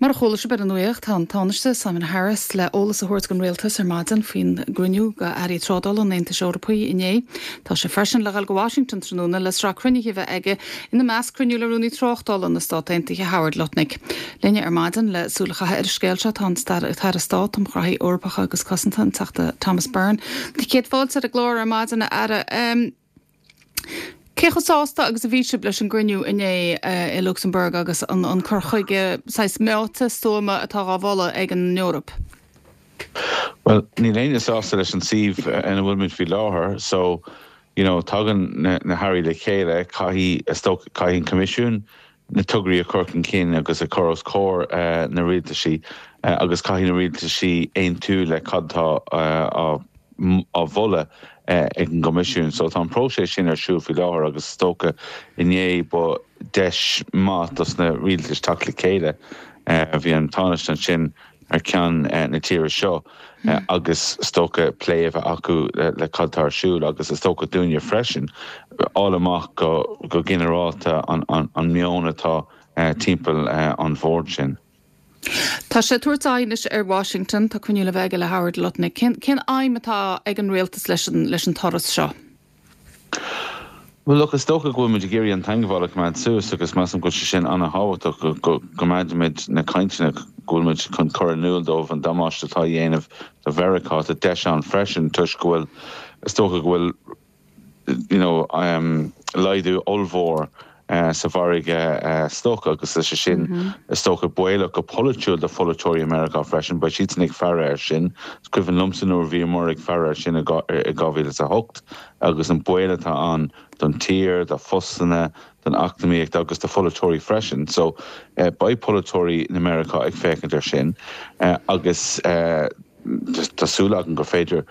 Mar a chuala sibh ar an nuacht, tá an Tánaiste Simon Harris le eolas a thabhairt don Rialtas ar maidin faoin gcruinniú d'Airí Trádála an Aontais Eorpaigh inné. Tá sé freisin le dhul go Washington tráthnóna le sraith cruinnithe a bheith aige, ina measc cruinniú le Rúnaí Tráchtála na Stát Aontaithe Howard Lutnick. Linne ar maidin le súil a chaitheamh ar an scéal seo tá an tAire Stáit um Ghraithí Eorpacha agus Cosanta, an Teachta Thomas Byrne. Céad fáilte ar an gclár ar maidin, a Aire. Cé chomh sásta agus a bhí sibh leis an gcruinniú inné i Lucsamburg agus an cur chuige saghas meáite, stuama atá dhá mholadh ag an Eoraip? Bhuel, níl éinne sásta leis an suíomh ina bhfuilimid faoi láthair so, you know, tagann na hairí le chéile, caithfidh, is dócha, caithfidh an Coimisiún na tograí a chur chun cinn agus a chur os comhair na rialtaisí agus caithfidh na rialtaisí aontú le cad atá á mholadh ag an gCoimisiún. So tá an próiseas sin ar siúl faoi láthair agus is dócha inné ba deis maith dos na rialtais teacht le chéile. Bhí an Tánaiste ansin thar ceann na tíre seo agus is dócha plé a bheith acu le cad tá ar siúl agus is dócha dúinne freisin fháil amach go ginearálta an meon atá timpeall an bhoird sin. Tá sé ag tabhairt aghaidh anois ar Washington, tá cruinniú le bheith aige le Howard Lutnick. Cén aidhm atá ag an rialtas leis an turas seo? Bhuel, look, is dócha go bhfuil muid ag iarraidh an teangmháil a choimeád suas agus measaim go bhfuil sé sin an-thábhachtach, go gcoimeádfaimid na cainteanna, go bhfuil muid chun cur in iúl dóibh an damáiste atá á dhéanamh do Mheiriceá. Tá deis ann freisin toisc go bhfuil, is dócha go bhfuil, you know, laghdú ollmhór sa mhargadh stoc agus tá sé sin, is dócha, baolach go polaitiúil do pholaiteoirí i Meiriceá freisin. Beidh siadsan ag faire air sin. Is cuimhin liomsa nuair a bhíomar ag faire air sin i 2008 agus an baol atá ann don tír, do phostanna, don eacnamaíocht agus do pholaiteoirí freisin. So, beidh polaiteoirí na Meiriceá ag féachaint air sin agus tá súil agam gur féidir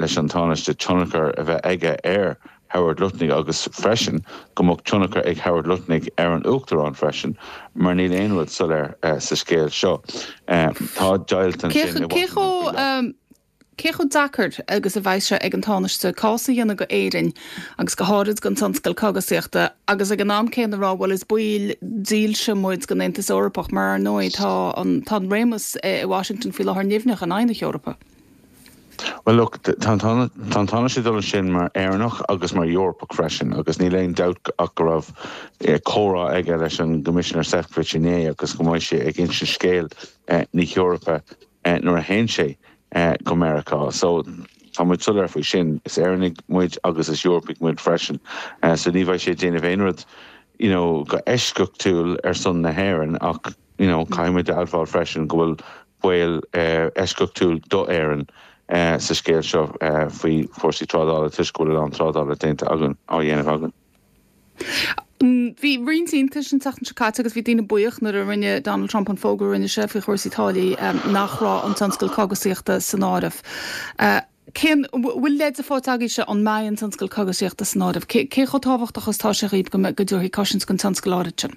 leis an Tánaiste tionchar a bheith aige ar Howard Lutnick agus freisin go mbeadh tionchar ag Howard Lutnick ar an Uachtarán freisin mar níl aon rud soiléir sa scéal seo. Tá deighilt ansin i Washington faoi láthair. Cé chomh deacair agus a bheidh sé ag an Tánaiste cás a dhéanamh do Éirinn agus go háirid don tionscal cogasaíochta agus ag an am céanna rá bhuel is baill dílse muid den Aontas Eorpach mar ar ndóigh tá an tá an réimeas i Washington faoi láthair nimhneach in aghaidh na hEorpa. Bhuel look, tá an Tánaiste ag dul ansin mar Éireannach agus mar Eorpach freisin agus níl aon dabht ach go raibh comhrá aige leis an gCoimisinéir Sefcovic inné agus go mbeidh sé ag insint scéal na hEorpa nuair a théann sé go Meiriceá. So tá muid soiléir faoi sin. Is Éireannaigh muid agus is Eorpaigh muid freisin. So ní bheidh sé ag déanamh aon rud you know go eisceachtúil ar son na hÉireann ach you know caithfidh muid a admháil freisin go bhfuil baol eisceachtúil d'Éirinn sa scéal seo faoi chúrsaí trádála toisc go bhfuil a lán trádála déanta againn, á dhéanamh againn. Bhí roinnt iontais an tseachtain seo caite agus bhí daoine buíoch nuair a rinne Donald Trump an fógra a rinne sé faoi chúrsaí táillí nach raibh an tionscal cogasaíochta san áireamh. Cén, bhfuil leide faighte agaibhse an mbeidh an tionscal cogasaíochta san áireamh? Cé chomh tábhachtach is atá sé dhaoibh go mbeidh, go dtabharfaí cosaint don tionscal áirid sin?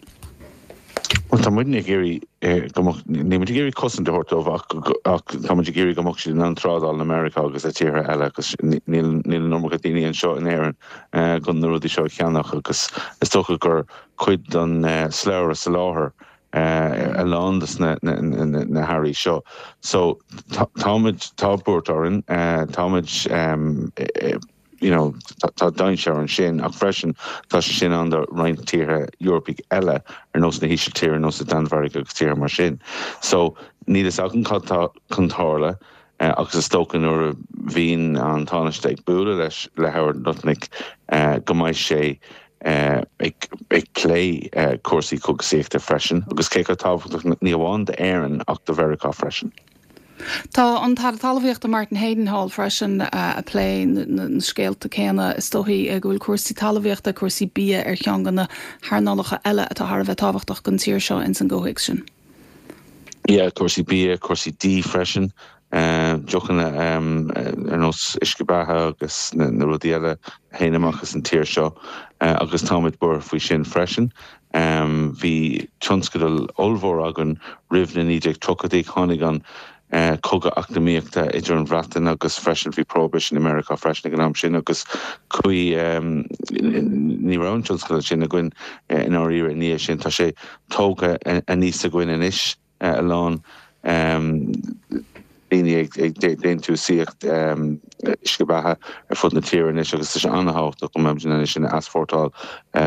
Bhuel, tá muidne ag iarraidh go mbeadh, níl muid ag iarraidh cosaint a thabhairt dóibh ach, ach tá muid ag iarraidh go mbeadh siad in ann trádáil le Meiriceá agus le tíortha eile agus níl, níl an iomarca daoine anseo in Éirinn chun na rudaí seo a cheannach agus is dócha gur cuid den slabhra soláthair a lán de na hearraí seo. So táimid, tá buairt orainn, táimid you know tá dainséar ansin ach freisin tá sé sin ann do roinnt tíortha Eorpaigh eile ar nós na hÍsiltíre, ar nós na Danmhairge agus tíortha mar sin. So níl fhios agam cad tá chun tarlú agus is dócha nuair a bhíonn an Tánaiste ag bualadh leis le Howard Lutnick go mbeidh sé ag plé cúrsaí cogasaíochta freisin agus cé chomh tábhachtach ní amháin d'Éirinn ach do Mheiriceá freisin. Tá an tAire Talmhaíochta Martin Heydon thall freisin ag plé na scéalta céanna. Is dóichí go bhfuil cúrsaí talmhaíochta, cúrsaí bia ar cheann de na hearnálacha eile atá thar a bheith tábhachtach don tír seo ins an gcomhthéacs sin. Yeah, cúrsaí bia, cúrsaí dí freisin. Deochanna ar nós uisce beatha agus na rudaí eile a théann amach as an tír seo agus táimid buartha faoi sin freisin. Bhí tionscadal ollmhór againn roimh na 1930idí, tháinig an cogadh eacnamaíochta idir an Bhreatain agus freisin bhí prohibition i Meiriceá freisin ag an am sin agus chuaigh, ní raibh an tionscadal sin againn i ndáiríre i ndiaidh sin. Tá sé tógtha aníos againn anois. a lán daoine ag déantúsaíocht uisce beatha ar fud na tíre anois agus tá sé an-thábhachtach go mbeimid in ann é sin a easpórtáil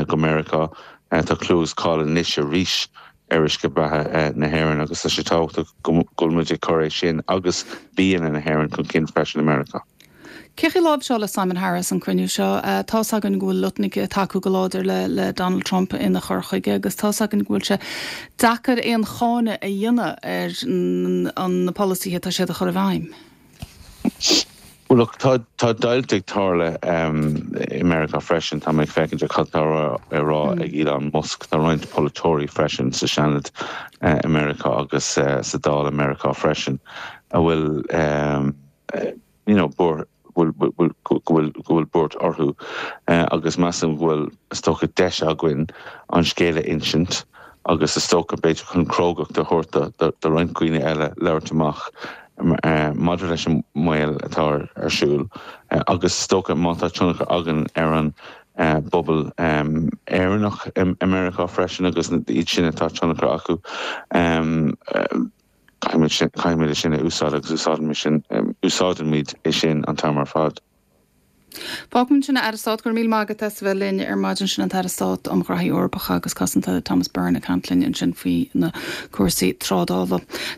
go Meiriceá. Tá clú agus cáil anois arís ar uisce beatha na hÉireann agus tá sé tábhachtach go bhfuil muid ag cur é sin agus bianna na hÉireann chun cinn freisin i Meiriceá. Cé chaoi láimhseáladh Simon Harris an cruinniú seo? Tá's againn go bhfuil Lutnick ag tacú go láidir le Donald Trump ina chur chuige agus tá's againn go bhfuil sé deacair aon cháineadh a dhéanamh ar na polasaithe atá siad a chur i bhfeidhm. Bhuel, look, tá tá deighilt ag tarlú i Meiriceá freisin. Tá mé ag féachaint ar cad tá á rá ag Elon Musk. Tá roinnt polaiteoirí freisin sa Seanad i Meiriceá agus sa Dáil i Meiriceá freisin a bhfuil you know, go bhfuil go bhfuil buairt orthu agus measaim go bhfuil, is dócha, deis againn an scéal a insint agus is dócha, b'fhéidir, chun crógacht a thabhairt do roinnt dhaoine eile labhairt amach maidir leis an mbaol atá ar siúl agus is dócha má tá tionchar againn ar an bpobal Éireannach i Meiriceá freisin agus iad sin atá tionchar acu. Caithfimid é sin a úsáid agus úsáidimid é sin an t-am ar fad. Fágfaimid ansin é, a Aire Stáit, go raibh míle maith agat as a bheith linn ar maidin. Sin an tAire Stáit um Ghraithí Eorpacha agus Cosanta, Thomas Byrne, ag caint linn ansin faoi na cúrsaí trádála.